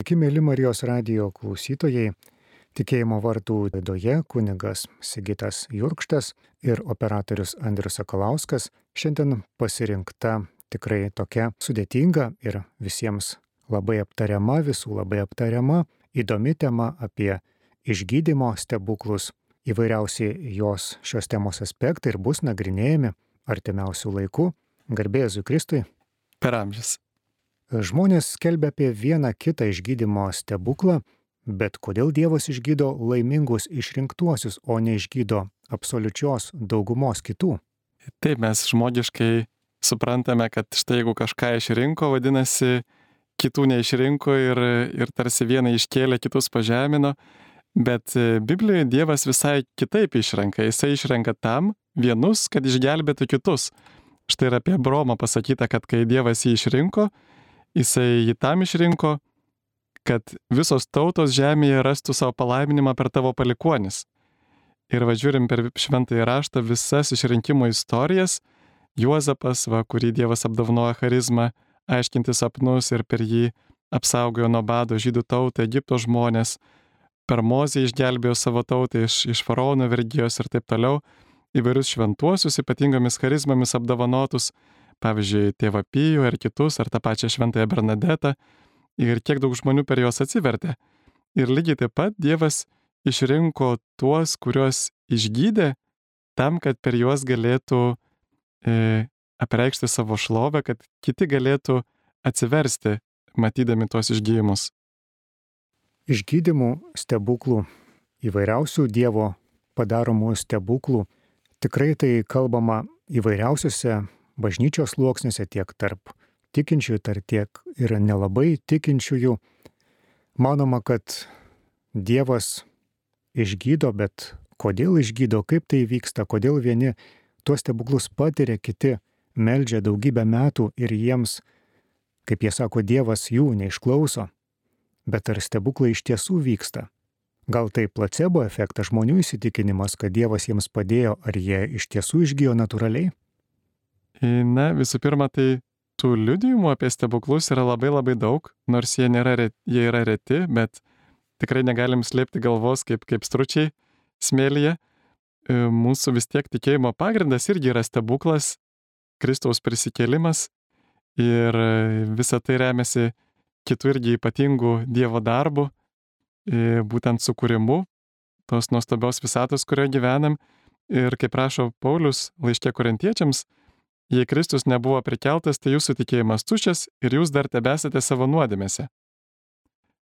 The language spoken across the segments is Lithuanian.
Sveiki, mėly Marijos radijo klausytojai. Tikėjimo vartų laidoje kunigas Sigitas Jurkštas ir operatorius Andrius Sakalauskas. Šiandien pasirinkta tikrai tokia sudėtinga ir visiems labai aptariama, visų labai aptariama, įdomi tema apie išgydymo stebuklus. Įvairiausi šios temos aspektai ir bus nagrinėjami artimiausių laikų. Garbė Jėzui Kristui. Per amžius. Žmonės skelbia apie vieną kitą išgydymo stebuklą, bet kodėl Dievas išgydo laimingus išrinktuosius, o neišgydo absoliučios daugumos kitų? Taip, mes žmogiškai suprantame, kad štai jeigu kažką išrinko, vadinasi, kitų neišrinko ir tarsi vieną iškėlė, kitus pažemino, bet Biblijoje Dievas visai kitaip išrenka. Jisai išrenka tam vienus, kad išgelbėtų kitus. Štai ir apie Abraomą pasakyta, kad kai Dievas jį išrinko, Jisai jį tam išrinko, kad visos tautos žemėje rastų savo palaiminimą per tavo palikuonis. Ir žiūrim per šventąjį raštą visas išrinkimo istorijas. Juozapas, kurį Dievas apdovanojo charizmą, aiškinti sapnus ir per jį apsaugojo nuo bado žydų tautą, Egipto žmonės. Per Mozę išgelbėjo savo tautą iš faraono vergijos ir taip toliau. Įvairius šventuosius ypatingomis charizmomis apdovanotus. Pavyzdžiui, tėvą Pijų ir kitus, ar tą pačią šventąją Bernadetą, ir kiek daug žmonių per juos atsivertė. Ir lygiai taip pat Dievas išrinko tuos, kuriuos išgydė, tam, kad per juos galėtų apreikšti savo šlovę, kad kiti galėtų atsiversti, matydami tuos išgydymus. Išgydymų stebuklų, įvairiausių Dievo padaromų stebuklų, tikrai tai kalbama įvairiausiuose bažnyčios sluoksniuose, tiek tarp tikinčiųjų, tiek ir nelabai tikinčiųjų. Manoma, kad Dievas išgydo, bet kodėl išgydo, kaip tai vyksta, kodėl vieni tuos stebuklus patiria, kiti meldžia daugybę metų ir jiems, kaip jie sako, Dievas jų neišklauso. Bet ar stebuklai iš tiesų vyksta? Gal tai placebo efektas, žmonių įsitikinimas, kad Dievas jiems padėjo, ar jie iš tiesų išgyjo natūraliai? Na, visų pirma, tai tų liudijimų apie stebuklus yra labai daug, nors jie yra reti, bet tikrai negalim slėpti galvos kaip stručiai smėlyje. Mūsų vis tiek tikėjimo pagrindas irgi yra stebuklas, Kristaus prisikėlimas, ir visa tai remiasi kitų irgi ypatingų Dievo darbų, būtent sukūrimu tos nuostabios visatos, kurioje gyvenam. Ir kaip rašo Paulius laiške Korintiečiams, jei Kristus nebuvo prikeltas, tai jūsų tikėjimas tuščias ir jūs dar tebesate savo nuodėmėse.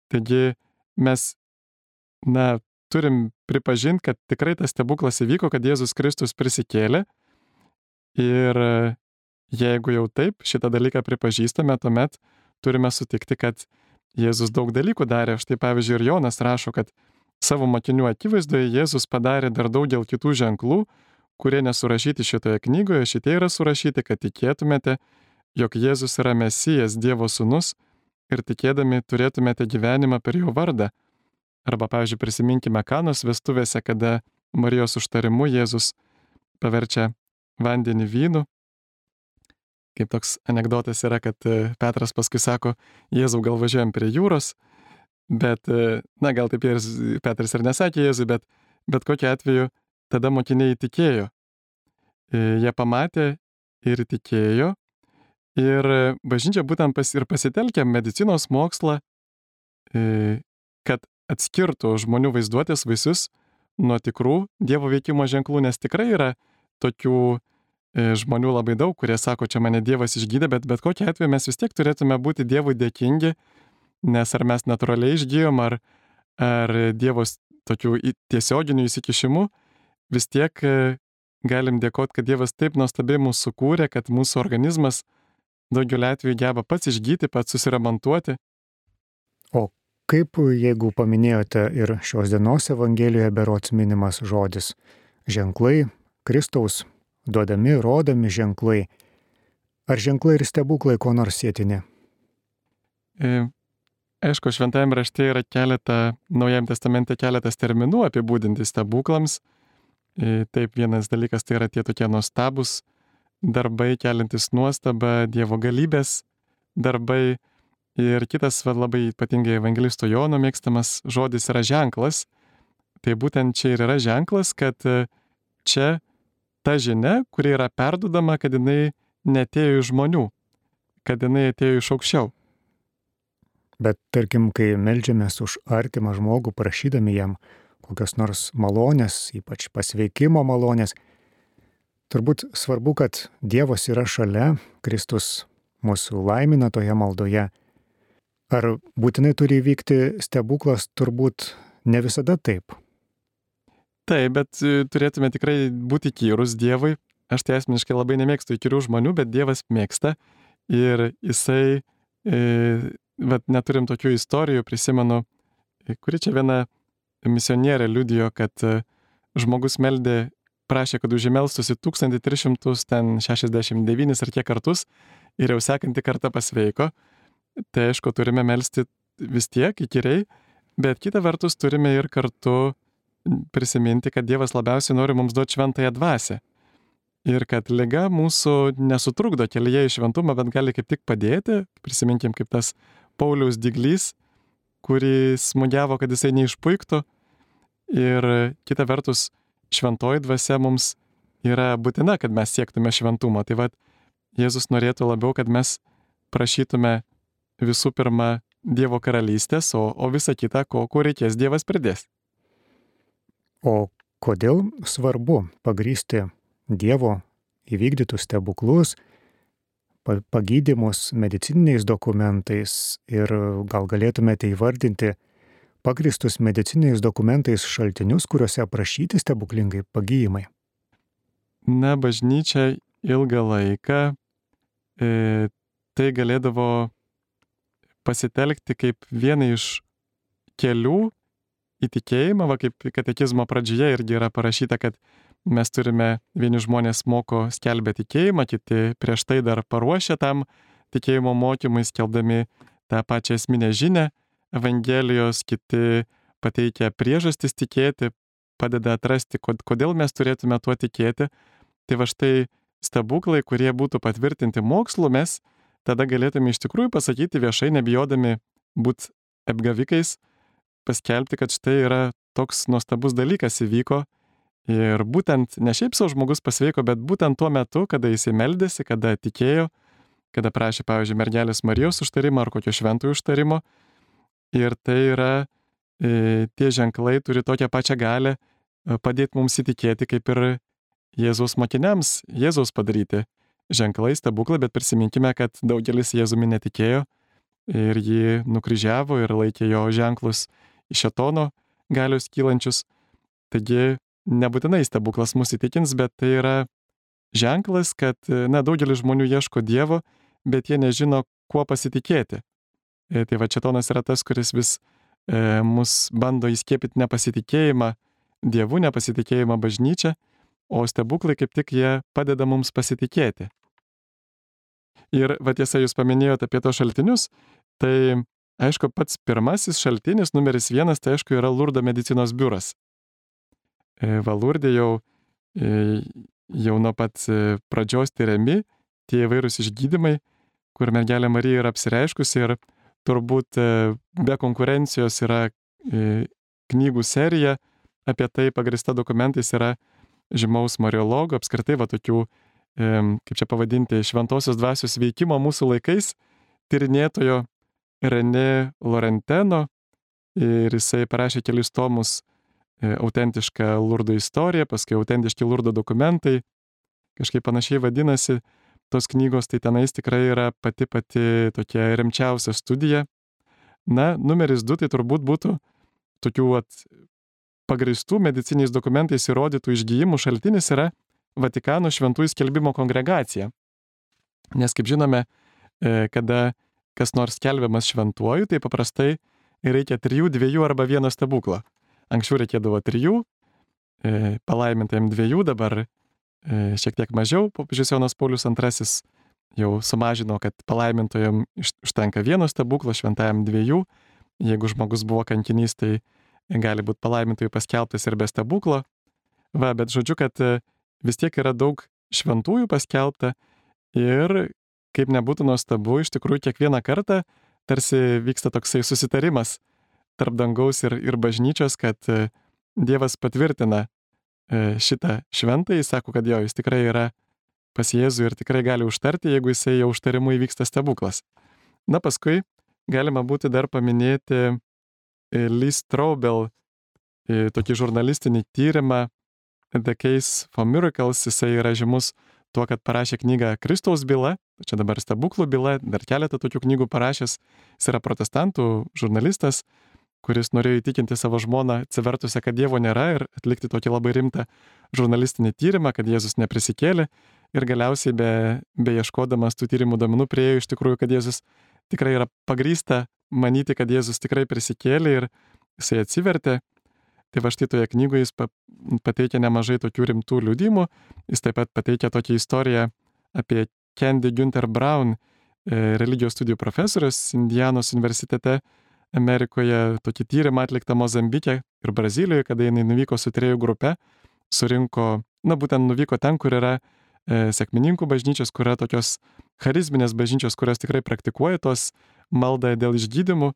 Taigi mes, turim pripažinti, kad tikrai tas stebuklas įvyko, kad Jėzus Kristus prisikėlė. Ir jeigu jau taip šitą dalyką pripažįstame, tuomet turime sutikti, kad Jėzus daug dalykų darė. Štai pavyzdžiui, ir Jonas rašo, kad savo mokinių akivaizdoje Jėzus padarė dar daugel kitų ženklų, kurie nesurašyti šitoje knygoje. Šitie yra surašyti, kad tikėtumėte, jog Jėzus yra Mesijas, Dievo sūnus, ir tikėdami turėtumėte gyvenimą per jo vardą. Arba, pavyzdžiui, prisiminkime Kanos vestuvėse, kada Marijos užtarimu Jėzus paverčia vandenį vynu. Kaip toks anekdotas yra, kad Petras paskui sako, Jėzau, gal važiuojam prie jūros, bet, gal taip Petras ir nesakė Jėzui, bet kokiu atveju tada mokiniai tikėjo. Jie pamatė ir tikėjo. Ir bažnyčia būtent pasitelkė medicinos mokslą, kad atskirtų žmonių vaizduotės vaisius nuo tikrų Dievo veikimo ženklų, nes tikrai yra tokių žmonių labai daug, kurie sako, čia mane Dievas išgydė, bet kokiu atveju mes vis tiek turėtume būti Dievui dėkingi, nes ar mes natūraliai išgyjom, ar Dievo tokių tiesioginių įsikišimų, vis tiek galim dėkoti, kad Dievas taip nuostabiai mūsų sukūrė, kad mūsų organizmas daugeliu atveju geba pats išgyti, pats susiremontuoti. O kaip, jeigu paminėjote ir šios dienos Evangelijoje berods minimas žodis ženklai, Kristaus duodami, rodomi ženklai, ar ženklai ir stebuklai ko nors sėtini? Aišku, šventajame rašte yra Naujajame testamente keletas terminų apibūdinti stebuklams. Taip, vienas dalykas tai yra tie tokie nuostabus darbai, keliantis nuostabą, Dievo galybės darbai. Ir kitas labai ypatingai evangelisto Jono mėgstamas žodis yra ženklas. Tai būtent čia ir yra ženklas, kad čia ta žinia, kuri yra perdodama, kad jinai neatėjo iš žmonių, kad jinai atėjo iš aukščiau. Bet tarkim, kai meldžiamės už artimą žmogų, prašydami jam kokios nors malonės, ypač pasveikimo malonės, turbūt svarbu, kad Dievas yra šalia, Kristus mūsų laimina toje maldoje. Ar būtinai turi įvykti stebuklas? Turbūt ne visada taip. Taip, bet turėtume tikrai būti įkyrus Dievui. Aš tai asmeniškai labai nemėgstu įkyrių žmonių, bet Dievas mėgsta. Ir jisai, neturim tokių istorijų, prisimenu, kuri čia viena misionierė liudijo, kad žmogus meldė, prašė, kad užmelstųsi 1369 ar kiek kartus ir jau sekantį kartą pasveiko. Tai aišku, turime melsti vis tiek įkyriai, bet kita vertus turime ir kartu prisiminti, kad Dievas labiausiai nori mums duoti šventąją dvasią. Ir kad liga mūsų nesutrukdo kelyje į šventumą, bet gali kaip tik padėti. Prisiminkim, kaip tas Pauliaus dyglys, kuris smūgiavo, kad jisai neišpuiktų. Ir kita vertus, šventoji dvasia mums yra būtina, kad mes siektume šventumo. Tai Jėzus norėtų labiau, kad mes prašytume visų pirma Dievo karalystės, o visą kitą, ko reikės, Dievas pridės. O kodėl svarbu pagrįsti Dievo įvykdytus stebuklus, pagydymus medicininiais dokumentais ir gal galėtumėte įvardinti pagrįstus medicininiais dokumentais šaltinius, kuriuose aprašyti stebuklingai pagijimai? Na, bažnyčia ilgą laiką tai galėdavo pasitelkti kaip vieną iš kelių į tikėjimą, kaip katekizmo pradžioje irgi yra parašyta, kad mes turime, vieni žmonės moko skelbę tikėjimą, kiti prieš tai dar paruošia tam tikėjimo mokymui, skelbdami tą pačią esminę žinią Evangelijos, kiti pateikia priežastis tikėti, padeda atrasti, kodėl mes turėtume tuo tikėti. Tai štai stebuklai, kurie būtų patvirtinti mokslu, mes tada galėtume iš tikrųjų pasakyti viešai, nebijodami būti apgavikais, paskelbti, kad štai yra toks nuostabus dalykas įvyko. Ir būtent ne šiaip savo žmogus pasveiko, bet būtent tuo metu, kada jisai meldėsi, kada tikėjo, kada prašė, pavyzdžiui, mergelės Marijos užtarimo ar kokio šventųjų užtarimo. Ir tai yra, tie ženklai turi tokią pačią galią padėti mums įtikėti, kaip ir Jėzaus mokiniams, Jėzaus padaryti ženklai, stebuklai, bet prisiminkime, kad daugelis Jėzumi netikėjo ir jį nukryžiavo ir laikė jo ženklus iš šėtono galios kylančius. Taigi, nebūtinai stebuklas mus įtikins, bet tai yra ženklas, kad, daugelis žmonių ieško Dievo, bet jie nežino, kuo pasitikėti. Tai šėtonas yra tas, kuris vis mus bando įskiepyti nepasitikėjimą Dievu, nepasitikėjimą bažnyčia, o stebuklai kaip tik jie padeda mums pasitikėti. Ir tiesa, jūs paminėjote apie tos šaltinius, tai aišku, pats pirmasis šaltinis, numeris 1, tai aišku yra Lurdo medicinos biuras. Lurde jau nuo pat pradžios tyriami tie įvairūs išgydymai, kur mergelė Marija yra apsireiškusi, ir turbūt be konkurencijos yra knygų serija apie tai pagrįsta dokumentais, yra žymaus mariologo, apskritai tokių, kaip čia pavadinti, šventosios dvasios veikimo mūsų laikais, tyrinėtojo René Laurenteno, ir jisai parašė kelis tomus autentišką Lurdo istoriją, paskui autentiški Lurdo dokumentai, kažkaip panašiai vadinasi tos knygos, tai tenais tikrai yra pati tokia rimčiausia studija. Na, numeris 2 tai turbūt būtų tokių pagrįstų mediciniais dokumentais įrodytų išgijimų šaltinis yra Vatikano šventųjų skelbimo kongregacija. Nes, kaip žinome, kada kas nors skelbiamas šventuoju, tai paprastai reikia 3, 2 arba 1 stebuklo. Anksčiau reikėdavo 3, palaimintajam 2, dabar šiek tiek mažiau. Popiežius Jonas Paulius II jau sumažino, kad palaimintojam užtenka 1 stebuklo, šventajam 2. Jeigu žmogus buvo kankinys, tai gali būti palaimintojų paskelbtas ir be stebuklo. Bet žodžiu, kad vis tiek yra daug šventųjų paskelbta ir, kaip nebūtų nuostabu, iš tikrųjų kiekvieną kartą tarsi vyksta toksai susitarimas tarp dangaus ir bažnyčios, kad Dievas patvirtina šitą šventąjį, sako, kad jo, jis tikrai yra pas Jėzų ir tikrai gali užtarti, jeigu jisai jau užtarimu įvyksta stebuklas. Na, paskui galima būti dar paminėti Lee Strobel tokį žurnalistinį tyrimą The Case for Miracles. Jisai yra žymus tuo, kad parašė knygą Kristaus byla, čia dabar stebuklų byla, dar keletą tokių knygų parašęs. Jis yra protestantų žurnalistas, kuris norėjo įtikinti savo žmoną atsivertusią, kad Dievo nėra ir atlikti tokį labai rimtą žurnalistinį tyrimą, kad Jėzus neprisikėlė. Ir galiausiai beieškodamas tų tyrimų duomenų priėjo iš tikrųjų, kad Jėzus tikrai yra pagrįsta manyti, kad Jėzus tikrai prisikėlė ir jisai atsivertė. Tai va štai toje knygoje jis pateikia nemažai tokių rimtų liudijimų. Jis taip pat pateikia tokią istoriją apie Candy Günther Brown, religijos studijų profesorius Indianos universitete Amerikoje, tokį tyrimą atliktą Mozambike ir Brazilijoje, kada jinai nuvyko su tyrėjų grupe, surinko, būtent nuvyko ten, kur yra sekmininkų bažnyčios, kur yra tokios charizminės bažnyčios, kurios tikrai praktikuoja tos maldą dėl išgydymų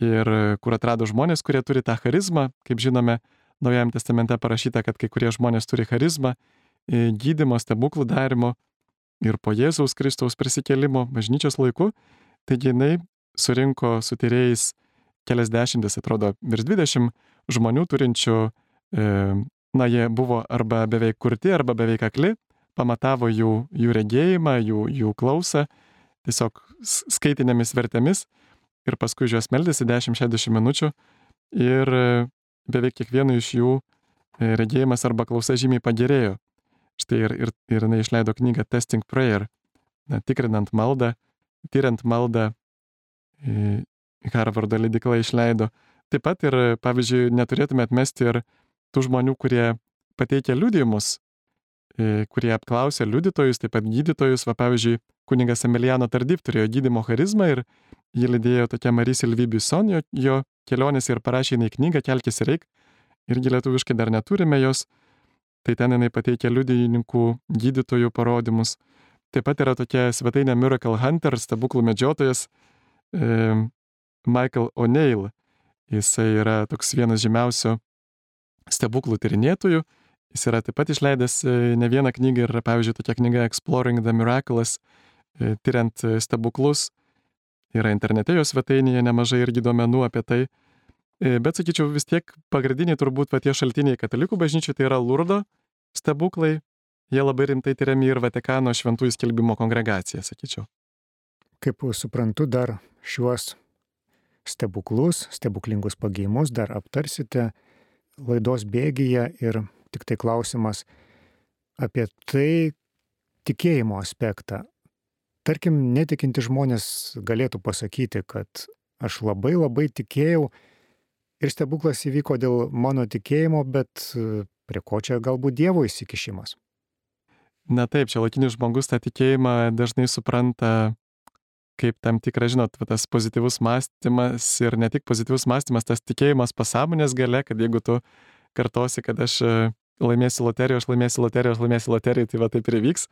ir kur atrado žmonės, kurie turi tą charizmą. Kaip žinome, Naujajame testamente parašyta, kad kai kurie žmonės turi charizmą gydymo, stebuklų darimo ir po Jėzaus Kristaus prisikėlimo bažnyčios laiku. Taigi jinai surinko su tyrėjais keliasdešimtis, atrodo, virš 20 žmonių turinčių, jie buvo arba beveik kurti, arba beveik akli, pamatavo jų regėjimą, jų klausą, tiesiog skaitinėmis vertėmis ir paskui juos meldėsi 10-60 minučių ir beveik kiekvienu iš jų regėjimas arba klausa žymiai pagerėjo. Štai ir jinai išleido knygą Testing Prayer, tikrinant maldą, tyriant maldą, Harvardo leidykla išleido. Taip pat ir, pavyzdžiui, neturėtume atmesti ir tų žmonių, kurie pateikia liudijimus, kurie apklausė liudytojus, taip pat gydytojus. Pavyzdžiui, kunigas Emiliano Tardif turėjo gydymo charizmą ir jį lydėjo tokia Marie Sylvie Buisson jo kelionėse ir parašė jinai knygą Kelkis ir eik. Irgi lietuviškai dar neturime jos. Tai ten jinai pateikia liudininkų, gydytojų parodymus. Taip pat yra tokia svetainė Miracle Hunter, stebuklų medžiotojas Michael O'Neill. Jisai yra toks vienas žymiausių stebuklų tyrinėtojų. Jis yra taip pat išleidęs ne vieną knygą ir, pavyzdžiui, tokia knyga Exploring the Miraculous, tyriant stebuklus. Yra internete jo svetainėje nemažai irgi duomenų apie tai. Bet, sakyčiau, vis tiek pagrindiniai turbūt tie šaltiniai katalikų bažnyčiai tai yra Lurdo stebuklai. Jie labai rimtai tyriami ir Vatikano šventųjų skelbimo kongregacija, sakyčiau. Kaip suprantu, dar šiuos stebuklus, stebuklingus pagėjimus dar aptarsite laidos bėgyje ir tik tai klausimas apie tai tikėjimo aspektą. Tarkim, netikinti žmonės galėtų pasakyti, kad aš labai labai tikėjau ir stebuklas įvyko dėl mano tikėjimo, bet prie ko čia galbūt Dievo įsikišimas? Na taip, šiuolaikinis žmogus tą tikėjimą dažnai supranta kaip tam tikra, tas pozityvus mąstymas ir ne tik pozityvus mąstymas, tas tikėjimas pasąmonės gale, kad jeigu tu kartosi, kad aš laimėsiu loteriją, aš laimėsiu loteriją, tai va taip ir įvyks.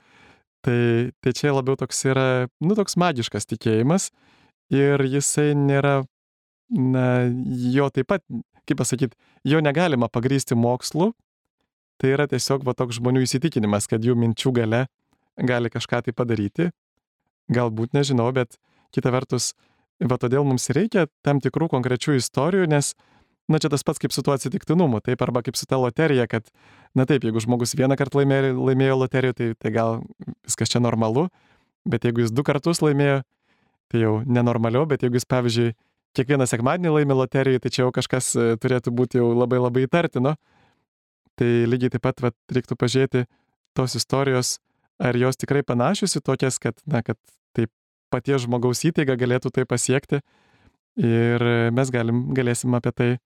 Tai čia labiau toks yra, toks magiškas tikėjimas ir jisai nėra, jo taip pat, kaip pasakyti, jo negalima pagrįsti mokslu. Tai yra tiesiog toks žmonių įsitikinimas, kad jų minčių gale gali kažką tai padaryti. Galbūt nežinau, bet kita vertus, todėl mums reikia tam tikrų konkrečių istorijų, nes, čia tas pats kaip su tuo atsitiktinumu, taip, arba kaip su ta loterija, kad, taip, jeigu žmogus vieną kartą laimėjo loteriją, tai gal viskas čia normalu, bet jeigu jis 2 kartus laimėjo, tai jau nenormaliau, bet jeigu jis, pavyzdžiui, kiekvieną sekmadienį laimė loteriją, tai čia jau kažkas turėtų būti jau labai labai įtartino. Tai lygiai taip pat reiktų pažiūrėti tos istorijos, ar jos tikrai panašios į tokias, kad taip paties žmogaus įtaiga galėtų tai pasiekti ir mes galėsim apie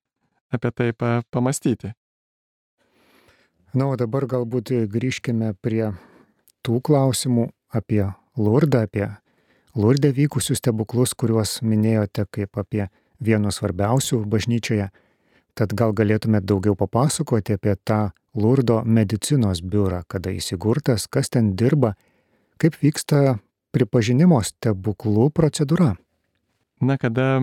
tai pamastyti. O dabar galbūt grįžkime prie tų klausimų apie Lurdą, apie Lurde vykusius stebuklus, kuriuos minėjote kaip apie vienus svarbiausių bažnyčioje. Tad gal galėtumėte daugiau papasakoti apie tą Lurdo medicinos biurą, kada įsigurtas, kas ten dirba, kaip vyksta pripažinimo stebuklų procedūra? Na, kada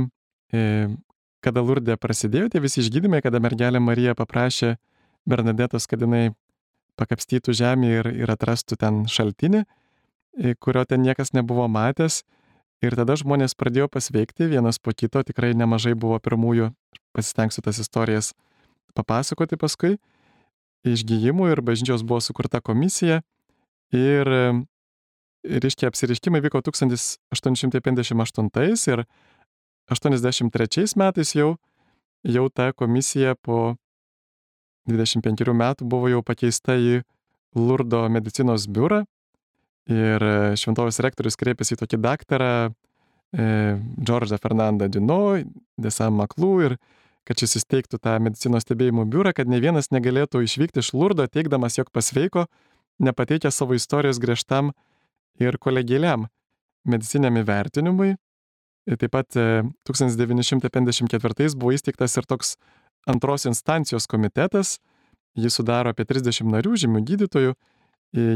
Lurde prasidėjo tie visi išgydymai, kada mergelė Marija paprašė Bernadetos, kad jinai pakapstytų žemę ir atrastų ten šaltinį, kurio ten niekas nebuvo matęs. Ir tada žmonės pradėjo pasveikti vienas po kito, tikrai nemažai buvo pirmųjų, pasistengsiu tas istorijas papasakoti paskui, išgijimų ir bažnyčios buvo sukurta komisija ir reiškia apsiriškimai vyko 1858 ir 83 metais jau ta komisija po 25 metų buvo jau pakeista į Lurdo medicinos biurą ir šventovės rektorius kreipėsi į tokį daktarą Džordžą Fernandą Duno de Saint-Maclou ir kad šis įsteigtų tą medicinos stebėjimų biurą, kad ne vienas negalėtų išvykti iš Lurdo, teigdamas, jog pasveiko, nepateikė savo istorijos griežtam ir kolegialiam mediciniam įvertinimui. Taip pat 1954 buvo įsteigtas ir toks antros instancijos komitetas, jį sudaro apie 30 narių, žymių gydytojų,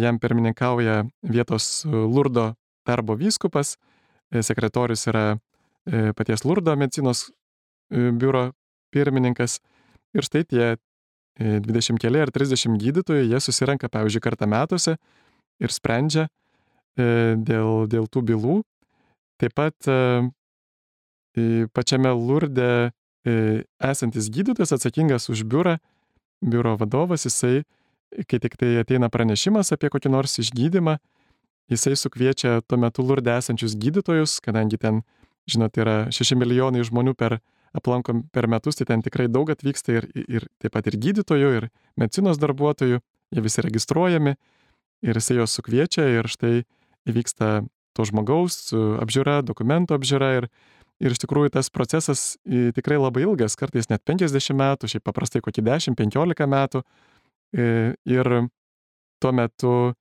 jam pirmininkauja vietos Lurdo darbo vyskupas, sekretorius yra paties Lurdo medicinos biuro pirmininkas ir štai tie 20 keli ar 30 gydytojų, jie susirenka, pavyzdžiui, kartą metuose ir sprendžia dėl tų bylų. Taip pat pačiame Lurde esantis gydytojas atsakingas už biuro vadovas, jisai, kai tik tai ateina pranešimas apie kokį nors išgydymą, jisai sukviečia tuo metu Lurde esančius gydytojus, kadangi ten, žinot, yra 6 milijonai žmonių aplankom per metus, tai ten tikrai daug atvyksta ir taip pat ir gydytojų, ir medicinos darbuotojų, jie visi registruojami ir jisai juos sukviečia ir štai įvyksta to žmogaus apžiūra, dokumento apžiūra ir iš tikrųjų tas procesas tikrai labai ilgas, kartais net 50 metų, šiaip paprastai kokį 10-15 metų ir tuo metu,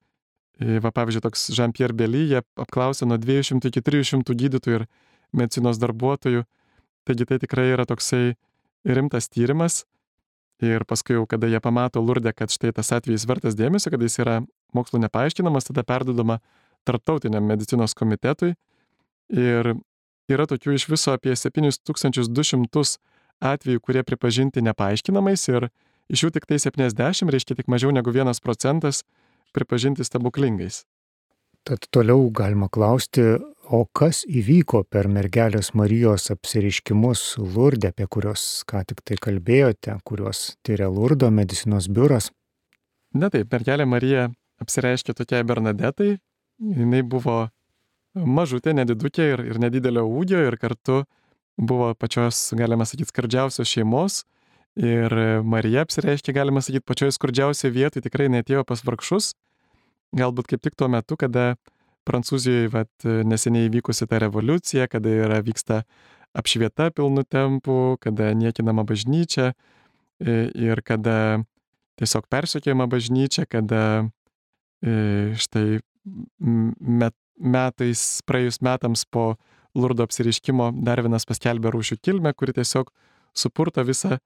pavyzdžiui, toks Jean-Pierre Bely, jie apklausė nuo 200 iki 300 gydytojų ir medicinos darbuotojų. Taigi tai tikrai yra toksai rimtas tyrimas ir paskui jau, kada jie pamato Lurde, kad štai tas atvejis vertas dėmesio, kad jis yra mokslu nepaaiškinamas, tada perduodama tarptautiniam medicinos komitetui ir yra tokių iš viso apie 7200 atvejų, kurie pripažinti nepaaiškinamais ir iš jų tik tai 70, reiškia tik mažiau negu 1% pripažinti stebuklingais. Tad toliau galima klausti, o kas įvyko per mergelės Marijos apsireiškimus Lurde, apie kuriuos ką tik tai kalbėjote, kuriuos tyria Lurdo medicinos biuras? Na taip, mergelė Marija apsireiškė tokiai Bernadetai, jinai buvo mažutė, nedidukė ir nedidelio ūgio ir kartu buvo pačios, galima sakyti, skurdžiausios šeimos ir Marija apsireiškė, galima sakyti, pačioje skurdžiausioje vietoje, tikrai neatėjo pas vargšus. Galbūt kaip tik tuo metu, kada Prancūzijoje neseniai įvykusi ta revoliucija, kada vyksta apšvieta pilnu tempu, kada niekinama bažnyčia ir kada tiesiog persekiojama bažnyčia, kada štai praėjus metams po Lurdo apsireiškimo dar vienas paskelbė rūšių kilmę, kuri tiesiog supurto visą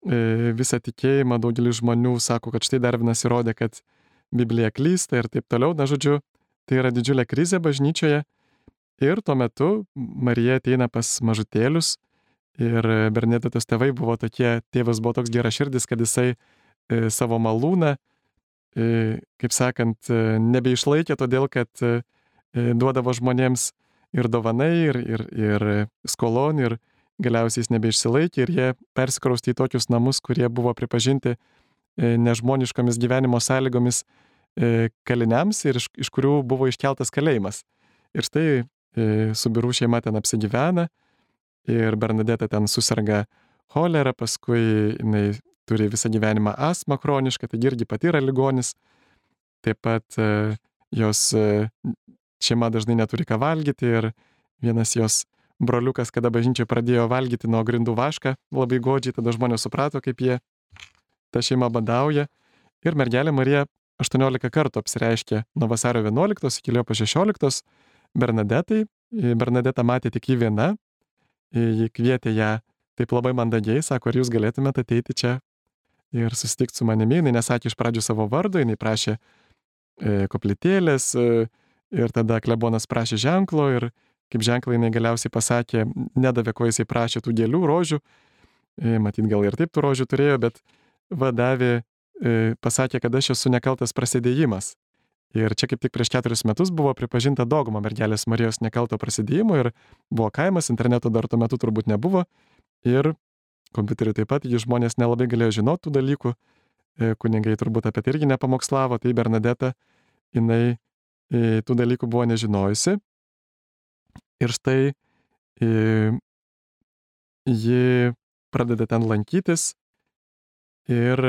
tikėjimą. Daugelis žmonių sako, kad štai dar vienas įrodė, kad Biblija klysta ir taip toliau. Na, žodžiu, tai yra didžiulė krizė bažnyčioje ir tuo metu Marija ateina pas mažutėlius ir Bernadetos tėvai buvo tokie, tėvas buvo toks geraširdis, kad jisai savo malūną, kaip sakant, nebeišlaikė, todėl kad duodavo žmonėms ir dovanai, ir skolon, ir galiausiai jis nebeišsilaikė ir jie persikraustė į tokius namus, kurie buvo pripažinti nežmoniškomis gyvenimo sąlygomis kaliniams ir iš kurių buvo iškeltas kalėjimas. Ir štai su birų šeima ten apsigyvena ir Bernadeta ten susirga cholera, paskui jinai turi visą gyvenimą astmą chronišką, tai irgi pati yra ligonis. Taip pat jos šeima dažnai neturi ką valgyti ir vienas jos broliukas, kada bažnyčioje pradėjo valgyti nuo grindų vašką, labai godžiai, tada žmonės suprato, kaip ta šeima badauja. Ir mergelė Marija 18 kartų apsireiškė nuo vasario 11 iki Liepos 16 Bernadetai. Bernadeta matė tik jį viena, ji kvietė ją taip labai mandagiai, sako, ar jūs galėtumėte ateiti čia ir susitikti su manimi. Jis nesakė iš pradžių savo vardo, jis prašė koplytėlės ir tada klebonas prašė ženklo ir kaip ženklą jinai galiausiai pasakė, nedavė, ko jisai prašė, tų gėlių, rožių, matyt gal ir taip tų rožių turėjo, bet davė, pasakė, kad aš esu nekaltas prasidėjimas. Ir čia kaip tik prieš 4 metus buvo pripažinta dogma mergelės Marijos nekalto prasidėjimo ir buvo kaimas, interneto dar tuo metu turbūt nebuvo ir kompiuteriu taip pat, žmonės nelabai galėjo žinoti tų dalykų, kunigai turbūt apie tai irgi nepamokslavo, tai Bernadeta, jinai tų dalykų buvo nežinojusi. Ir štai ji pradeda ten lankytis ir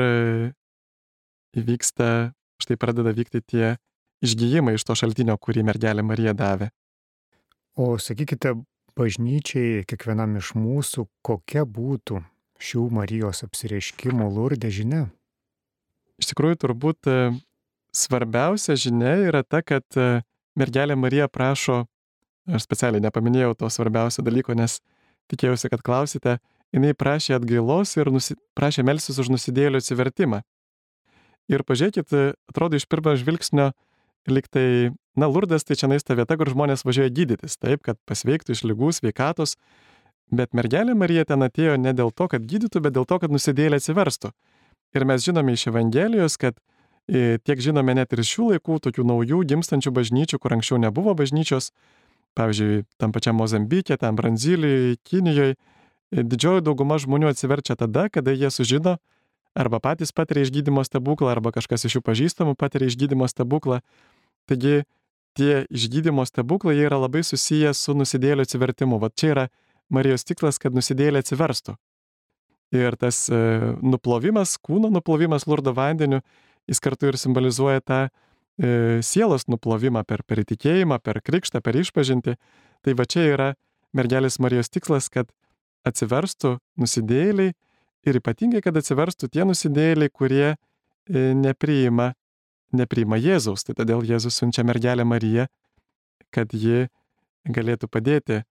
įvyksta, štai pradeda vykti tie išgijimai iš to šaltinio, kurį mergelė Marija davė. O sakykite, bažnyčiai, kiekvienam iš mūsų, kokia būtų šių Marijos apsireiškimų Lurde žinia? Iš tikrųjų, turbūt svarbiausia žinia yra ta, kad mergelė Marija prašo, aš specialiai nepaminėjau to svarbiausio dalyko, nes tikėjausi, kad klausite, jinai prašė atgailos ir prašė melstis už nusidėjėlių atsivertimą. Ir pažiūrėkit, atrodo iš pirmo žvilgsnio, lyg tai, Lurdas tai čianais ta vieta, kur žmonės važiuoja gydytis, taip, kad pasveiktų iš ligų, sveikatos, bet mergelė Marija ten atėjo ne dėl to, kad gydytų, bet dėl to, kad nusidėjėliai atsiverstų. Ir mes žinome iš Evangelijos, kad tiek žinome net ir šių laikų, tokių naujų gimstančių bažnyčių, kur anksčiau nebuvo bažnyčios, pavyzdžiui, tam pačiam Mozambike, tam Branzilijoje, Kinijoje, didžioji dauguma žmonių atsiverčia tada, kada jie sužino, arba patys patiria išgydymo stebuklą, arba kažkas iš jų pažįstamų patiria išgydymo stebuklą. Taigi tie išgydymo stebuklai jie yra labai susiję su nusidėjėlių atsivertimu. Vat čia yra Marijos tikslas, kad nusidėjėliai atsiverstų. Ir tas nuplovimas, kūno nuplovimas Lurdo vandeniu, jis kartu ir simbolizuoja tą sielos nuplovimą per įtikėjimą, per krikštą, per išpažintį. Tai va čia yra mergelės Marijos tikslas, kad atsiverstų nusidėjėliai ir ypatingai, kad atsiverstų tie nusidėjėliai, kurie nepriima Jėzaus. Tai todėl Jėzus siunčia mergelę Mariją, kad ji galėtų padėti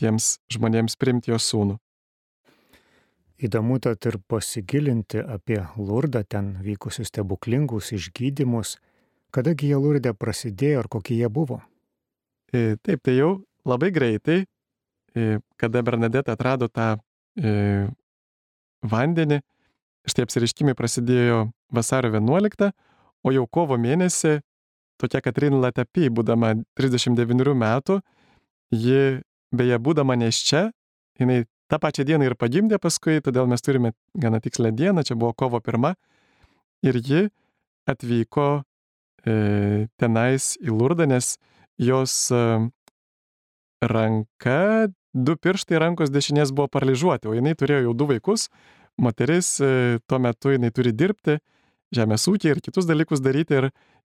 tiems žmonėms priimti jo sūnų. Įdomu tad ir pasigilinti apie Lurdą, ten vykusius stebuklingus išgydymus. Kadagi jie Lurde prasidėjo ir kokie jie buvo? Taip, tai jau labai greitai, kada Bernadeta atrado tą vandenį, štai apsireiškimai prasidėjo vasario 11, o jau kovo mėnesį tokia Katrin Latapy, būdama 39 metų, ji beje būdama nėščia, jinai tą pačią dieną ir pagimdė paskui, todėl mes turime gana tikslę dieną, čia buvo kovo 1, ir ji atvyko tenais į Lurdą, nes jos ranka, 2 pirštai rankos dešinės buvo paralyžiuoti, o jinai turėjo jau 2 vaikus, moteris tuo metu jinai turi dirbti, žemės ūkį ir kitus dalykus daryti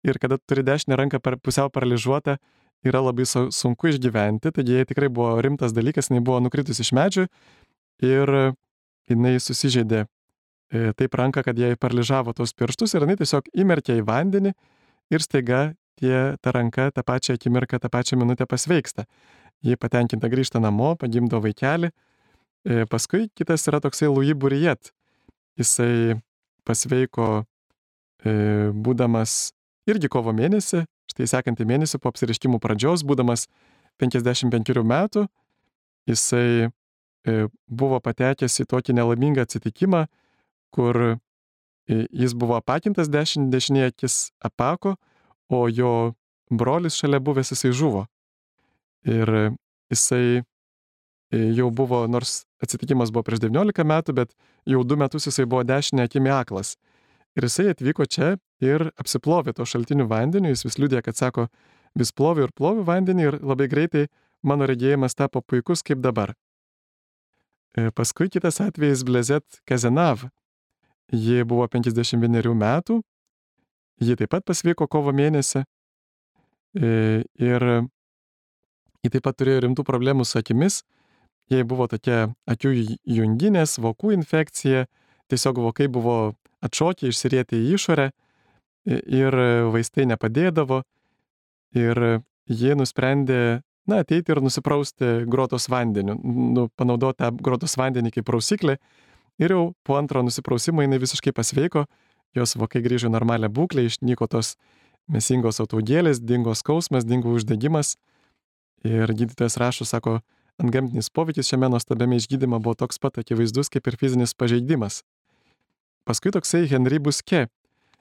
ir kada turi dešinę ranką pusiau paralyžiuotą, yra labai sunku išgyventi, taigi jai tikrai buvo rimtas dalykas, jinai buvo nukritus iš medžių ir jinai susižeidė taip ranką, kad jai paralyžavo tos pirštus ir jinai tiesiog įmerkė į vandenį ir staiga ta ranka tą pačią akimirką, tą pačią minutę pasveiksta. Ji patenkinta grįžta namo, pagimdo vaikelį. Paskui kitas yra toksai Louis Bourriet. Jisai pasveiko būdamas irgi kovo mėnesį, štai sekantį mėnesį po apsireiškimų pradžios, būdamas 55 metų, jisai buvo patekęs į tokį nelaimingą atsitikimą, kur jis buvo apakintas, dešinė akis apako, o jo brolis šalia buvęs jisai žuvo. Ir jisai jau buvo, nors atsitikimas buvo prieš 19 metų, bet jau 2 metus jisai buvo dešinė akimi aklas. Ir jisai atvyko čia ir apsiplovė to šaltinių vandeniu, jis vis liudija, kad sako, vis ploviu ir ploviu vandenį ir labai greitai mano regėjimas tapo puikus kaip dabar. Paskui kitas atvejis Blezet Kazenav. Ji buvo 51 metų, ji taip pat pasveiko kovo mėnesį ir ji taip pat turėjo rimtų problemų su akimis. Jai buvo tokia akių junginės, vokų infekcija, tiesiog vokai buvo atšokę, išsirietę į išorę ir vaistai nepadėdavo. Ir jie nusprendė, ateiti ir nusiprausti grotos vandeniu, panaudoti tą grotos vandenį kaip prausiklį. Ir jau po antro nusiprausimo jinai visiškai pasveiko, jos vokai grįžo į normalią būklę, išnyko tos mėsingos ataugėlės, dingo skausmas, dingo uždegimas. Ir gydytojas rašo, sako, antgamtinis poveikis šiame nuostabiame išgydyme buvo toks pat akivaizdus kaip ir fizinis pažeidimas. Paskui toksai Henri Busquet.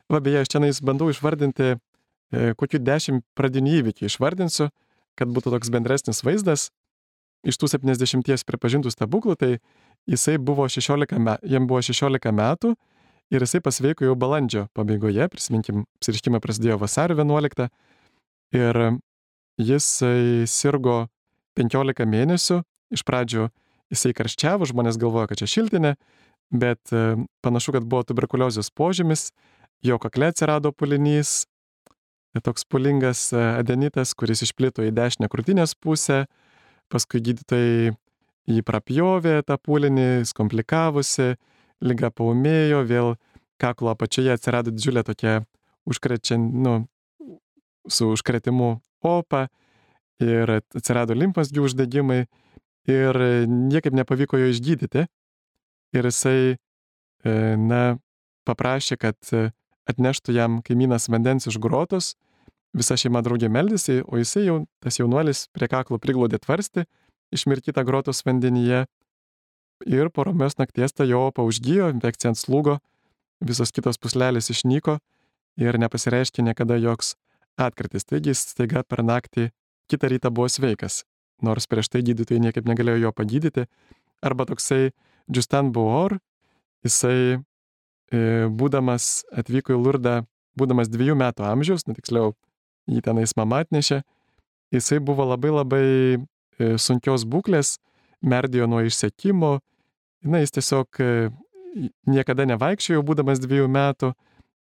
Va, beje, aš čia bandau išvardinti kokių 10 pradinių įvykių išvardinsiu, kad būtų toks bendresnis vaizdas. Iš tų 70 pripažintų stebuklų, tai jam buvo 16 metų ir jisai pasveiko jau balandžio pabaigoje, prisiminkim, apsireiškimai prasidėjo vasario 11 ir jisai sirgo 15 mėnesių, iš pradžių jisai karščiavo, žmonės galvoja, kad čia šiltinė, bet panašu, kad buvo tuberkuliozės požymis, jo kakle atsirado pūlinys, toks pūlingas adenitas, kuris išplito į dešinę krūtinės pusę, paskui gydytojai jį prapjovė tą pūlinį, komplikavosi, liga paūmėjo, vėl kaklo apačioje atsirado didžiulė tokia su užkretimu opa ir atsirado limfmazgių uždegimai ir niekaip nepavyko jo išgydyti. Ir jisai, paprašė, kad atneštų jam kaimynas vandens iš grotos, visa šeima draugė meldėsi, o jisai jau, tas jaunuolis, prie kaklo priglaudė tvarstį, išmirkytą grotos vandenyje ir po ramios nakties ta jo opa užgijo, infekcija atslūgo, visos kitos puslelės išnyko ir nepasireiškė niekada joks atkrytis. Taigi jis staiga per naktį kitą rytą buvo sveikas, nors prieš tai gydytojai niekaip negalėjo jo pagydyti. Arba toksai Justin Bour, jisai atvyko į Lurdą, būdamas 2 metų amžiaus, tiksliau, jį tenais mama atnešė, jisai buvo labai labai sunkios būklės, merdėjo nuo išsekimo, jis tiesiog niekada nevaikščiojo, būdamas 2 metų,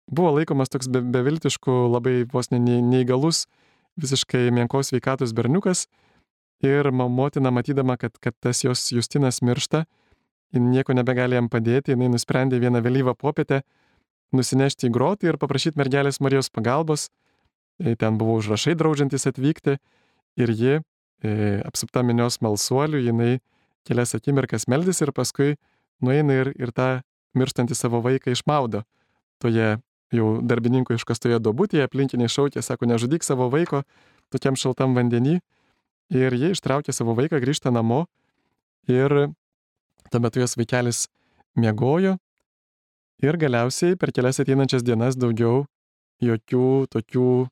buvo laikomas toks beviltišku, labai vos neįgalus, visiškai menkos sveikatos berniukas ir motina matydama, kad tas jos Justinas miršta, jin nieko nebegali jam padėti, jinai nusprendė vieną vėlyvą popietę nusinešti į grotą ir paprašyti mergelės Marijos pagalbos. Ten buvo užrašai draudžiantis atvykti ir ji, apsupta minios smalsuolių, jinai kelias akimirkas meldėsi ir paskui nueina ir tą mirštantį savo vaiką išmaudo. Toje jau darbininko iškastoje duobutėje aplinkiniai šaukė, sako, nežudyk savo vaiko tokiam šaltam vandenį. Ir jie ištraukė savo vaiką, grįžta namo ir tuo metu jos vaikelis miegojo ir galiausiai per kelias ateinančias dienas daugiau jokių tokių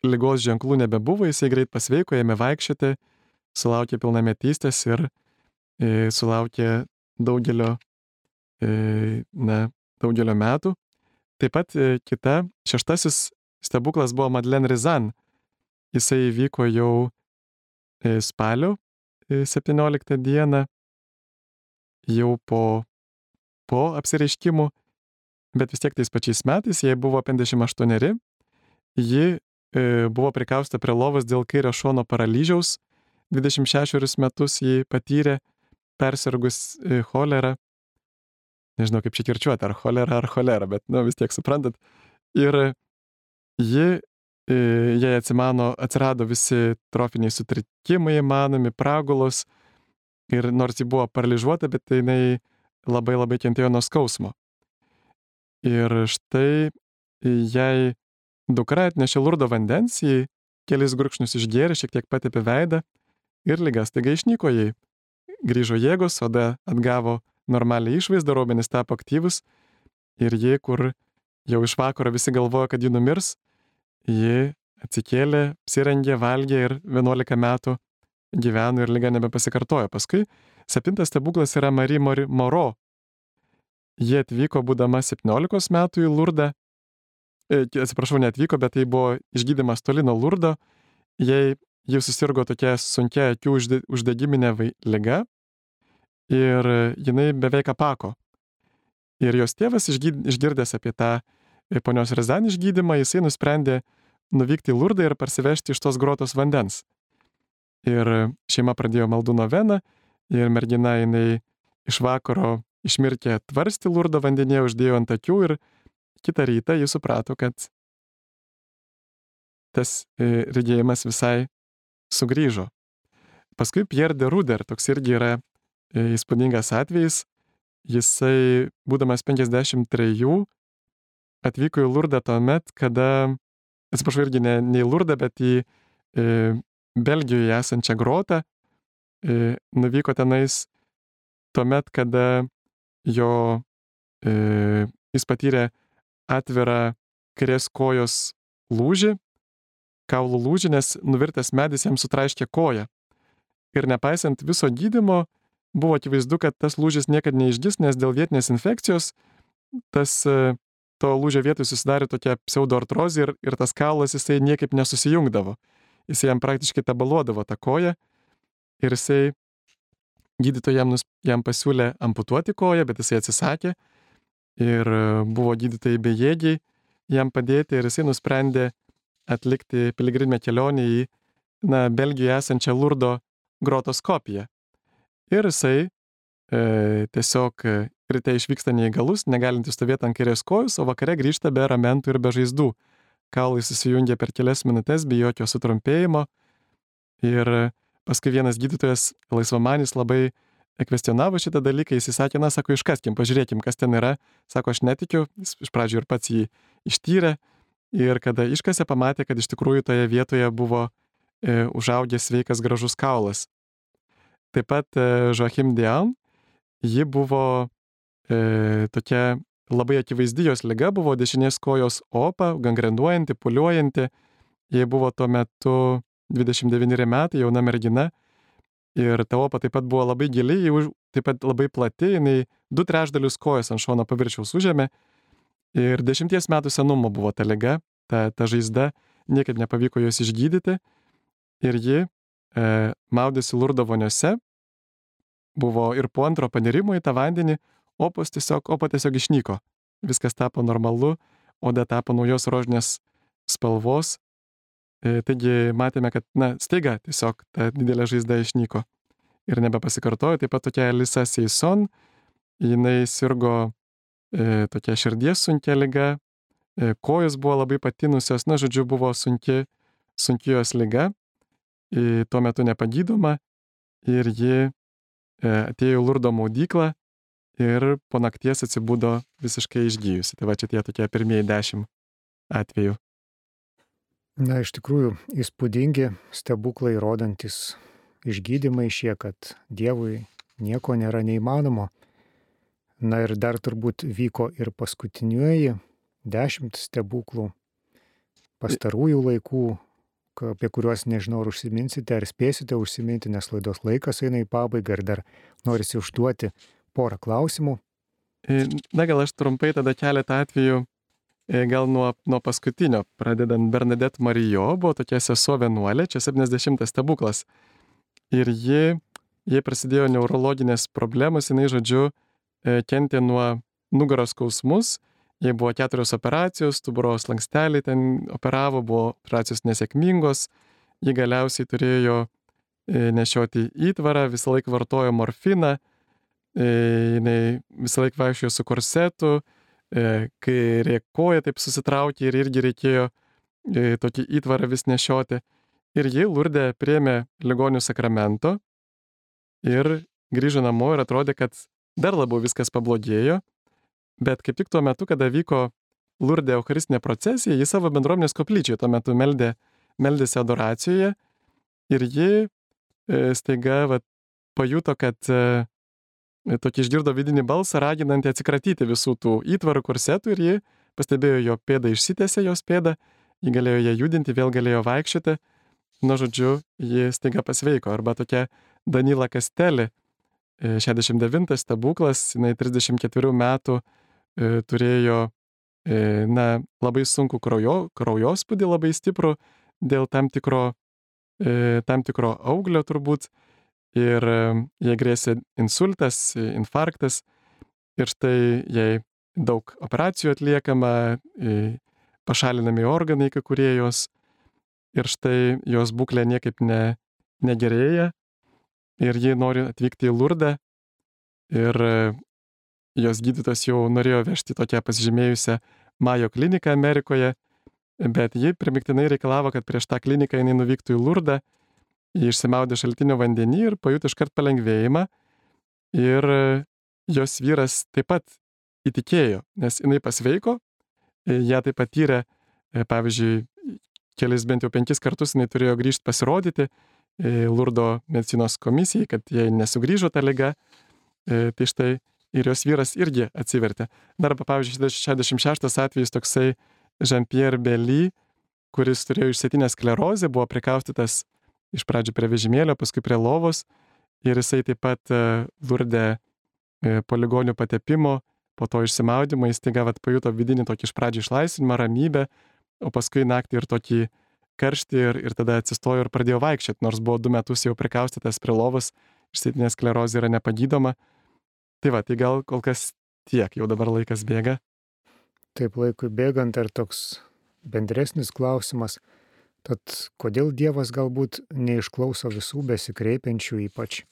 ligos ženklų nebebuvo, jisai greit pasveiko, ėmė vaikščioti, sulaukė pilnametystės ir sulaukė daugelio metų. Taip pat kita, 6. stebuklas buvo Madeleine Rizan. Jisai įvyko jau spalio 17 dieną, jau po apsireiškimų, bet vis tiek tais pačiais metais, jai buvo 58, ji buvo prikausta prie lovos dėl kairio šono paralyžiaus, 26 metus ji patyrė, persirgus cholerą, nežinau kaip čia kirčiuoti, ar cholera, bet vis tiek suprantat, ir jai atsirado visi trofiniai sutrikimai įmanomi, pragulos, ir nors ji buvo paralyžiuota, bet jinai labai labai kentėjo nuo skausmo. Ir štai jai dukra atnešė Lurdo vandens, jį kelis gurkšnius išgėrė, šiek tiek patepė veidą ir liga staiga išnyko jai. Grįžo jėgos, oda atgavo normalią išvaizdą, raumenys tapo aktyvus ir ji, kur jau iš vakaro visi galvojo, kad ji numirs, ji atsikėlė, apsirengė, valgė ir 11 metų gyveno ir liga nebepasikartojo. Paskui 7. stebuklas yra Marie Moreau. Ji atvyko būdama 17 metų į Lurdą. Atsiprašau, neatvyko, bet tai buvo išgydymas toli nuo Lurdo. Ji susirgo tokia sunkia akių uždegiminė liga ir jinai beveik apako. Ir jos tėvas išgirdęs apie tą ponios Rizan išgydymą, jisai nusprendė nuvykti į Lurdą ir parsivežti iš tos grotos vandens. Ir šeima pradėjo maldų noveną ir mergina jinai iš vakaro išmirkė tvarstį Lurdo vandenyje, uždėjo ant akių ir kitą rytą jis suprato, kad tas regėjimas visai sugrįžo. Paskui Pierre de Ruder, toks irgi yra įspūdingas atvejis, jisai, būdamas 53, atvyko į Lurdą tuomet, kada, atsiprašau, irgi ne į Lurdą, bet į Belgijoje esančią grotą, nuvyko tenais tuomet, kada jis patyrė atvirą kairės kojos lūžį, kaulų lūžį, nes nuvirtęs medis jam sutraiškė koją. Ir nepaisant viso gydymo, buvo akivaizdu, kad tas lūžis niekad neišgis, nes dėl vietinės infekcijos to lūžio vietoj susidarė tokia pseudoartrozė ir tas kaulas jisai niekaip nesusijungdavo. Jisai jam praktiškai tabaluodavo tą koją ir jisai gydytojai jam pasiūlė amputuoti koją, bet jisai atsisakė ir buvo gydytojai bejėgiai jam padėti ir jisai nusprendė atlikti piligriminę kelionę į Belgijoje esančią Lurdo grotos kopiją. Ir jisai tiesiog ryte išvyksta neįgalus, negalintis stovėti ant kairės kojos, o vakare grįžta be ramentų ir be žaizdų. Kaulai susijungia per kelias minutės, be jokio sutrumpėjimo. Ir paskui vienas gydytojas laisvamanis labai kvestionavo šitą dalyką, jis sakė, sako, iškaskim, pažiūrėkim, kas ten yra. Sako, aš netikiu, jis iš pradžių ir pats jį ištyrė. Ir kada iškasė, pamatė, kad iš tikrųjų toje vietoje buvo užaugęs sveikas gražus kaulas. Taip pat Joachim Dion, ji buvo tokia labai akivaizdi jos liga, buvo dešinės kojos opa, gangrenuojanti, pūliuojanti. Jai buvo tuo metu 29 metai, jauna mergina. Ir ta opa taip pat buvo labai gili, taip pat labai plati, jinai 2/3 kojos ant šono paviršiaus užėmė. Ir 10 metų senumo buvo ta liga, ta žaizda, niekaip nepavyko jos išgydyti. Ir ji maudėsi Lurdo voniose, buvo ir po antro panirimo į tą vandenį, opa tiesiog išnyko. Viskas tapo normalu, oda tapo naujos rožinės spalvos. Taigi matėme, kad staiga tiesiog ta didelė žaizda išnyko ir nebepasikartojo. Taip pat tokia Elisa Seison, jinai sirgo tokia širdies sunkia liga, kojos buvo labai patinusios, žodžiu, buvo sunki jos liga, tuo metu nepagydoma ir ji atėjo į Lurdo maudyklą ir po nakties atsibudo visiškai išgyjusi. Tai va čia tie tokie pirmieji 10 atvejų. Iš tikrųjų, įspūdingi stebuklai rodantis išgydymai šie, kad Dievui nieko nėra neįmanomo. Ir dar turbūt vyko ir paskutinieji 10 stebuklų pastarųjų laikų, apie kuriuos nežinau, ar užsiminsite, ar spėsite užsiminti, nes laidos laikas eina į pabaigą ir dar norisi užduoti porą klausimų. Gal aš trumpai tada keletą atvejų, gal nuo paskutinio, pradedant Bernadette Marijo, buvo tokia sesuo vienuolė, čia 70 stebuklas. Ir jai prasidėjo neurologinės problemos, jinai, žodžiu, kentė nuo nugaros skausmus, jai buvo 4 operacijos, stuburo slanksteliai ten operavo, buvo operacijos nesėkmingos, ji galiausiai turėjo nešioti įtvarą, visą laiką vartojo morfiną, jinai visą laiką vaikščiojo su korsetu, kairė koja taip susitraukė ir irgi reikėjo tokį įtvarą vis nešioti. Ir ji Lurde priėmė ligonių sakramento ir grįžo namo ir atrodė, kad dar labiau viskas pablogėjo. Bet kaip tik tuo metu, kada vyko Lurde eucharistinė procesija, ji savo bendruomenės koplyčioje tuo metu meldėsi adoracijoje ir ji staiga pajuto, kad tokį išgirdo vidinį balsą, raginantį atsikratyti visų tų įtvarų, korsetų, ir ji pastebėjo, jo pėda išsitęsė, jos pėda, ji galėjo ją judinti, vėl galėjo vaikščioti. Žodžiu, ji staiga pasveiko. Arba tokia Danila Kastelė, 69 stebuklas, jinai 34 metų turėjo labai sunku kraujospūdį, labai stiprų dėl tam tikro auglio turbūt, ir jai grėsė insultas, infarktas, ir štai jai daug operacijų atliekama, pašalinami organai kai kurie jos, ir štai jos būklė niekaip negerėja, ir ji nori atvykti į Lurdą, ir jos gydytojas jau norėjo vežti tokią pasižymėjusią Mayo kliniką Amerikoje, bet ji primiktinai reikalavo, kad prieš tą kliniką jinai nuvyktų į Lurdą. Ji išsimaudė šaltinio vandenį ir pajuto iškart palengvėjimą, ir jos vyras taip pat įtikėjo, nes jinai pasveiko, ją taip patyrė, pavyzdžiui, kelis bent jau 5 kartus jinai turėjo grįžti pasirodyti Lurdo medicinos komisijai, kad jai nesugrįžo ta liga. Tai štai ir jos vyras irgi atsivertė. Dar, pavyzdžiui, 66 atvejis toksai Jean-Pierre Belly, kuris turėjo išsėtinę sklerozę, buvo prikaustytas iš pradžių prie vežimėlio, paskui prie lovos ir jisai taip pat Lurde po ligonių patepimo, po to išsimaudimo, jis staiga pajuto vidinį tokį iš pradžių išlaisvinimą, ramybę, o paskui naktį ir tokį karštį ir tada atsistojo ir pradėjo vaikščioti, nors buvo 2 metus jau prikaustytas prie lovos, išsėtinė sklerozė yra nepagydoma. Tai gal kol kas tiek, jau dabar laikas bėga. Taip, laikui bėgant ar toks bendresnis klausimas, tad kodėl Dievas galbūt neišklauso visų besikreipiančių, ypač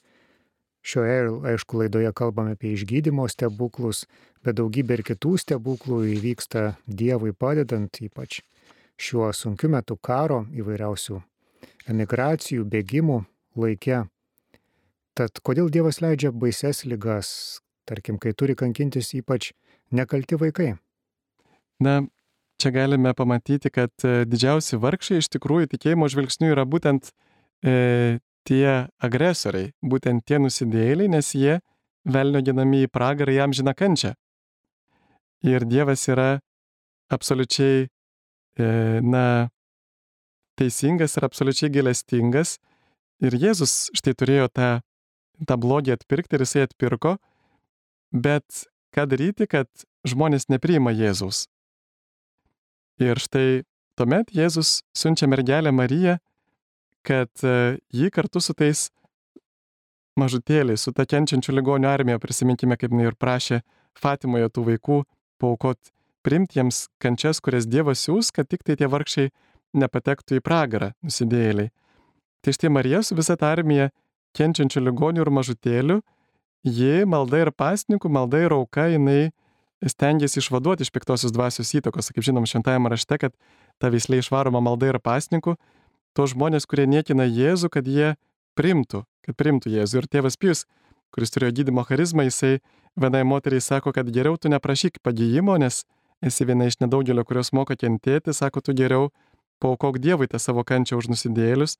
šioje, aišku, laidoje kalbame apie išgydymo stebuklus, bet daugybė ir kitų stebuklų įvyksta Dievui padedant, ypač šiuo sunkiu metu karo, įvairiausių emigracijų, bėgimų laike. Tad kodėl Dievas leidžia baises ligas, tarkim, kai turi kankintis ypač nekalti vaikai? Na, čia galime pamatyti, kad didžiausi vargšai iš tikrųjų tikėjimo žvilgsnių yra būtent tie agresoriai, būtent tie nusidėjėliai, nes jie velnio ginami į pragarą, jam žina kančią. Ir Dievas yra absoliučiai teisingas ir absoliučiai gailestingas. Ir Jėzus štai turėjo tą blogį atpirkti ir jisai atpirko, bet ką daryti, kad žmonės nepriima Jėzaus. Ir štai tuomet Jėzus siunčia mergelę Mariją, kad ji kartu su tais mažutėliais, su ta kenčiančių ligonių armija, prisiminkime, kaip jinai ir prašė Fatimoje tų vaikų paaukot, priimti jiems kančias, kurias Dievas siūs, kad tik tai tie vargšiai nepatektų į pragarą, nusidėjėliai. Tai štai Marija su visa ta armija kenčiančių ligonių ir mažutėlių, ji malda ir pasninkų, malda ir auka, jinai stengiasi išvaduoti iš piktosios dvasios įtakos. Kaip žinom, šventajame rašte, kad ta veislė išvaroma malda ir pasninkų, tos žmonės, kurie niekina Jėzų, kad jie priimtų Jėzų. Ir tėvas Pijus, kuris turėjo gydymo charizmą, jisai vienai moteriai sako, kad geriau tu neprašyk pagyjimo, nes esi viena iš nedaugelio, kurios moka kentėti, sako, tu geriau paaukok Dievui tą savo kančią už nusidėjėlius.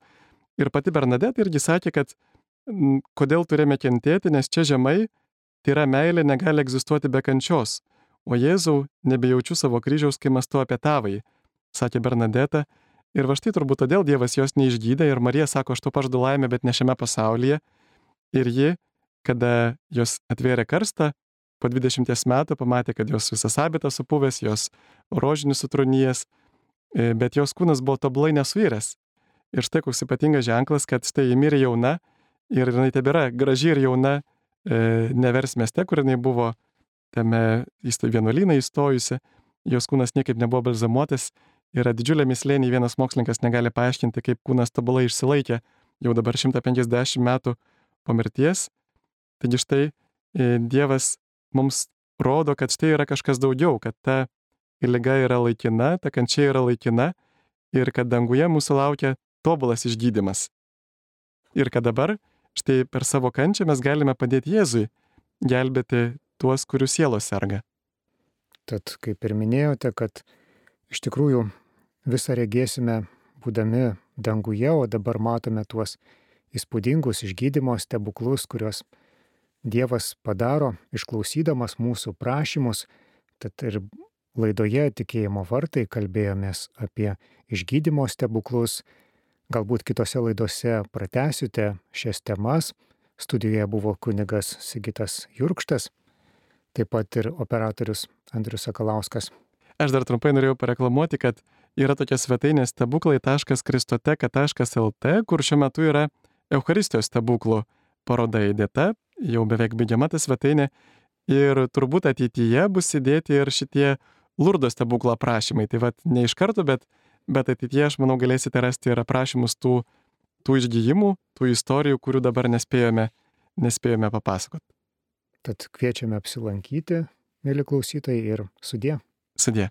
Ir pati Bernadeta irgi sakė, kad kodėl turime kentėti, nes čia žemai tyra meilė negali egzistuoti be kančios. O Jėzau, nebejaučiu savo kryžiaus, kai mąstu apie tavąjį, sakė Bernadeta. Ir va štai turbūt todėl Dievas jos neišgydė ir Marija sako, aš to pažadu laimę, bet ne šiame pasaulyje. Ir ji, kada jos atvėrė karstą, po 20 metų pamatė, kad jos visas habitas supuvęs, jos rožinis sutrūnijęs, bet jos kūnas buvo tobulai nesuiręs. Ir štai koks ypatingas ženklas, kad štai ji mirė jauna ir jinai tebėra graži ir jauna Nevers mieste, kur jinai buvo tame vienuolyną įstojusi, jos kūnas niekaip nebuvo balzamuotas, yra didžiulė mįslė, nei vienas mokslininkas negali paaiškinti, kaip kūnas tobulai išsilaikė jau dabar 150 metų po mirties. Taigi štai Dievas mums rodo, kad štai yra kažkas daugiau, kad ta liga yra laikina, ta kančia yra laikina ir kad danguje mūsų laukia tobulas išgydymas. Ir kad dabar štai per savo kančią mes galime padėti Jėzui gelbėti tuos, kurių sielos serga. Tad, kaip ir minėjote, kad iš tikrųjų visą regėsime būdami danguje, o dabar matome tuos įspūdingus išgydymo stebuklus, kuriuos Dievas padaro, išklausydamas mūsų prašymus. Tad ir laidoje Tikėjimo vartai kalbėjomės apie išgydymo stebuklus. Galbūt kitose laidose pratęsite šias temas. Studijoje buvo kunigas Sigitas Jurkštas, taip pat ir operatorius Andrius Sakalauskas. Aš dar trumpai norėjau pareklamuoti, kad yra tokia svetainė stebuklai.kristoteka.lt, kur šiuo metu yra Eucharistijos stebuklų paroda įdėta, jau beveik baigiama ta svetainė, ir turbūt ateityje bus įdėti ir šitie Lurdo stebuklo aprašymai. Tai vat ne iš karto, bet ateityje, aš manau, galėsite rasti ir aprašymus tų išgijimų, tų istorijų, kurių dabar nespėjome papasakoti. Tad kviečiame apsilankyti, mieli klausytojai, ir sudie. Sudie.